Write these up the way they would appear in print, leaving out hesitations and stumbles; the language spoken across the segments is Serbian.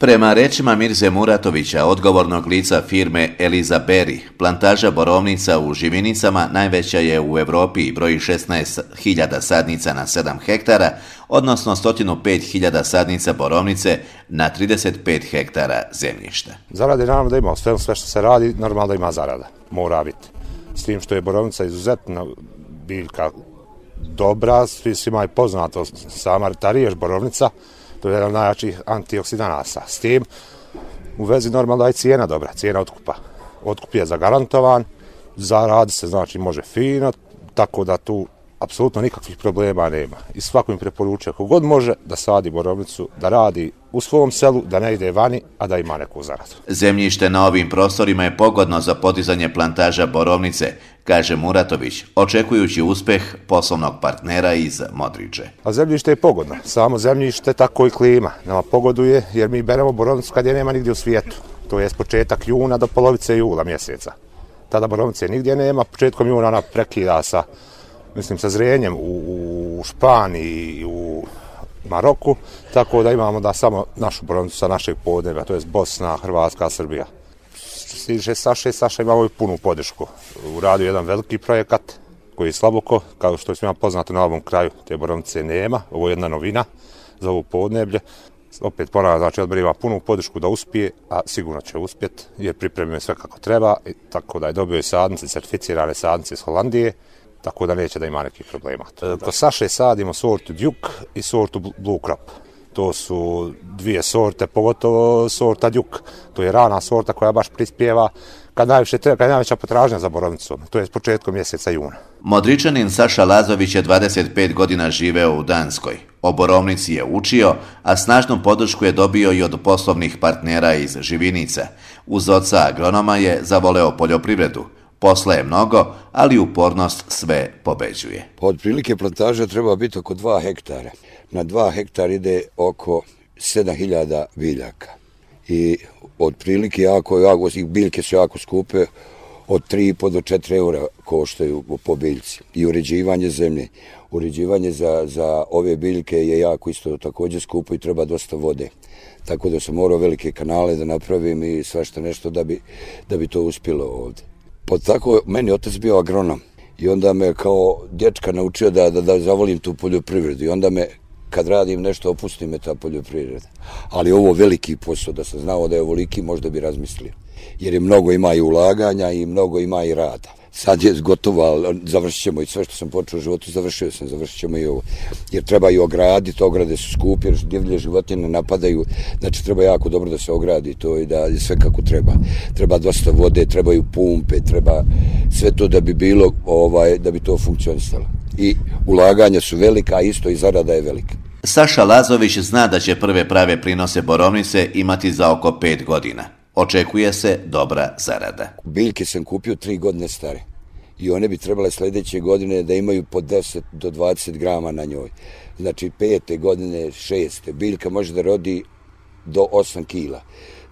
Prema rečima Mirze Muratovića, odgovornog lica firme Eliza Berry, plantaža borovnica u Živinicama najveća je u Europi i broji 16.000 sadnica na 7 hektara, odnosno 105.000 sadnica borovnice na 35 hektara zemljišta. Zarade naravno da ima, sve što se radi, normalno da ima zarada, mora biti. S tim što je borovnica izuzetno biljka dobra, svima je poznato, sama ta riječ borovnica, to je jedan od najjačih antioksidanasa. S tim u vezi normalno da je cijena dobra, cijena otkupa. Otkup je zagarantovan, zaradi se, znači može fino, tako da tu apsolutno nikakvih problema nema. I svako im preporučuje ako god može da sadi borovnicu, da radi u svom selu, da ne ide vani, a da ima neku zaradu. Zemljište na ovim prostorima je pogodno za podizanje plantaža borovnice, kaže Muratović, očekujući uspjeh poslovnog partnera iz Modriče. A zemljište je pogodno, samo zemljište tako i klima. Nama pogoduje jer mi beremo borovnicu kad je nema nigdje u svijetu. To je s početak juna do polovice jula mjeseca. Tada borovnice nigdje nema, početkom juna ona prekida sa zrenjem u Španiji i u Maroku, tako da imamo da samo našu borovnicu sa našeg podneblja, to je Bosna, Hrvatska, Srbija. Stiže Saša imamo i punu podršku. Uradio jedan veliki projekat koji je Slaboko, kao što je svima poznato na ovom kraju, te borovnice nema, ovo je jedna novina za ovo podneblje. Opet ponavljam, znači odbor ima punu podršku da uspije, a sigurno će uspjeti, jer pripremio sve kako treba, tako da je dobio i sadnice, certificirane sadnice iz Holandije, tako da neće da ima nekih problema. Kod Saše sadimo sortu Duke i sortu Blue Crop. To su dvije sorte, pogotovo sorta Duke. To je rana sorta koja baš prispjeva kad najviše treba, kad je najveća potražnja za borovnicom. To je s početkom mjeseca juna. Modričanin Saša Lazović je 25 godina živeo u Danskoj. O borovnici je učio, a snažnu podršku je dobio i od poslovnih partnera iz Živinica. Uz oca agronoma je zavoleo poljoprivredu. Posla je mnogo, ali upornost sve pobeđuje. Otprilike plantaža treba biti oko 2 hektara. Na 2 hektara ide oko 7.000 biljaka. I otprilike biljke su jako skupe, od 3,5 do 4 eura koštaju po biljci. I uređivanje zemlje. Uređivanje za ove biljke je jako isto također skupo i treba dosta vode. Tako da sam morao velike kanale da napravim i svašta nešto da bi to uspjelo ovdje. Tako meni otac bio agronom i onda me kao dječka naučio da zavolim tu poljoprivredu i onda me kad radim nešto opusti me ta poljoprivreda. Ali ovo veliki posao, da sam znao da je ovoliki, možda bi razmislio. Jer je mnogo ima i ulaganja i mnogo ima i rada. Sad je gotovo, ali završit ćemo i sve što sam počeo u životu, završit ćemo i ovo. Jer treba i ograditi, ograde su skupe, jer divlje životinje napadaju, znači treba jako dobro da se ogradi to i da je sve kako treba. Treba dosta vode, trebaju pumpe, treba sve to da bi bilo, da bi to funkcionisalo. I ulaganja su velika, a isto i zarada je velika. Saša Lazović zna da će prve prave prinose borovnice imati za oko 5 godina. Očekuje se dobra zarada. Biljke sam kupio 3 godine stare i one bi trebale sljedeće godine da imaju po 10 do 20 grama na njoj. Znači 5. godine, 6. biljka može da rodi do 8 kila.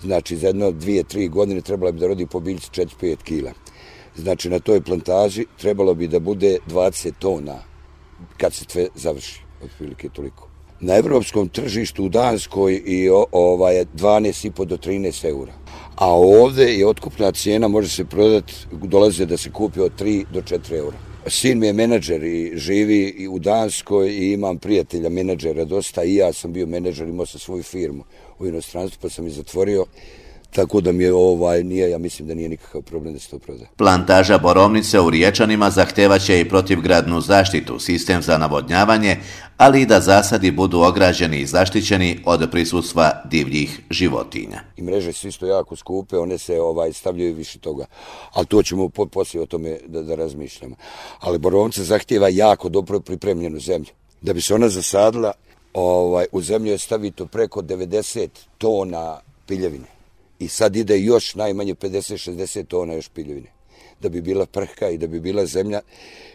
Znači za 1, 2, 3 godine trebala bi da rodi po biljci 4-5 kila. Znači na toj plantaži trebalo bi da bude 20 tona kad se sve završi, otprilike toliko. Na evropskom tržištu u Danskoj i 12,5 do 13 eura. A ovdje je otkupna cijena, može se prodati, dolaze da se kupi od 3 do 4 eura. Sin mi je menadžer i živi i u Danskoj i imam prijatelja menadžera dosta i ja sam bio menadžer, imao sam svoju firmu u inostranstvu pa sam je zatvorio. Tako da mi je ja mislim da nije nikakav problem da se to proda. Plantaža borovnice u Riječanima zahtevaće i protivgradnu zaštitu, sistem za navodnjavanje, ali i da zasadi budu ograđeni i zaštićeni od prisustva divljih životinja. I mreže su isto jako skupe, one se stavljaju više toga, ali to ćemo poslije o tome da razmišljamo. Ali borovnica zahtjeva jako dobro pripremljenu zemlju. Da bi se ona zasadila, u zemlju je stavito preko 90 tona piljevine. I sad ide još najmanje 50-60 tona još piljevine. Da bi bila prhka i da bi bila zemlja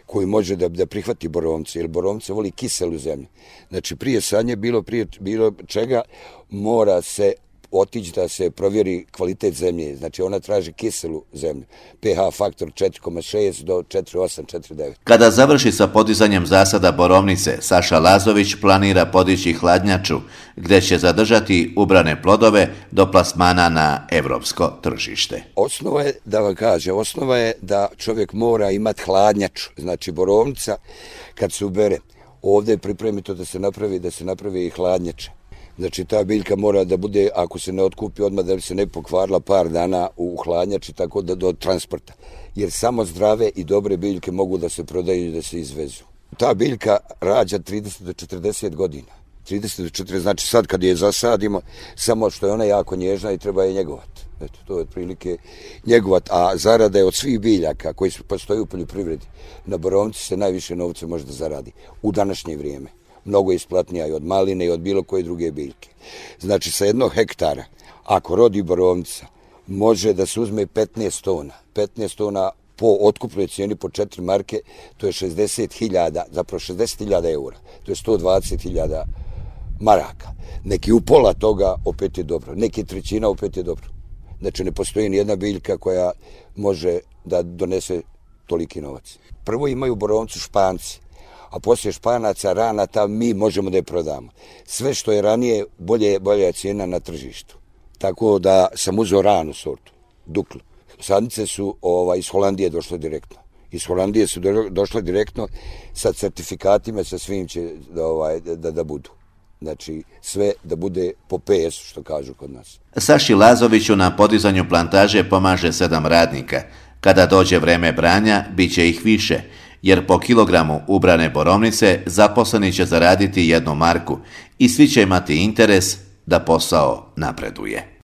koju može da prihvati borovnice. Jer borovnice voli kiselu zemlju. Znači prije sadnje bilo čega mora se otići da se provjeri kvalitet zemlje. Znači ona traži kiselu zemlju. pH faktor 4,6 do 4,8, 4,9. Kada završi sa podizanjem zasada borovnice, Saša Lazović planira podići hladnjaču, gdje će zadržati ubrane plodove do plasmana na evropsko tržište. Osnova je, da vam kaže, osnova je da čovjek mora imati hladnjaču. Znači borovnica, kad se ubere, ovdje je pripremito da se napravi i hladnjača. Znači ta biljka mora da bude, ako se ne otkupi odmah, da bi se ne pokvarila par dana u hladnjači, tako da do transporta. Jer samo zdrave i dobre biljke mogu da se prodaju i da se izvezu. Ta biljka rađa 30 do 40 godina. 30 do 40, znači sad kad je zasadimo, samo što je ona jako nježna i treba je njegovati. Eto, to je otprilike njegovat, a zarada je od svih biljaka koji postoji u poljoprivredi. Na borovnici se najviše novca može da zaradi u današnje vrijeme. Mnogo je isplatnija i od maline i od bilo koje druge biljke. Znači, sa 1 hektara, ako rodi borovnica, može da se uzme 15 tona. 15 tona po otkupnoj cijeni po 4 marke, to je 60.000, zapravo 60.000 eura. To je 120.000 maraka. Neki u pola toga opet je dobro. Neki trećina opet je dobro. Znači, ne postoji nijedna biljka koja može da donese toliki novac. Prvo imaju borovnicu Španci, a poslije Španaca rana ta mi možemo da je prodamo. Sve što je ranije, bolja je cijena na tržištu. Tako da sam uzeo ranu sortu, Duklu. Sadnice su iz Holandije došle direktno. Iz Holandije su došle direktno sa certifikatima, sa svim će da budu. Znači, sve da bude po PS, što kažu kod nas. Saši Lazoviću na podizanju plantaže pomaže 7 radnika. Kada dođe vreme branja, bit će ih više, jer po kilogramu ubrane borovnice zaposleni će zaraditi 1 marku i svi će imati interes da posao napreduje.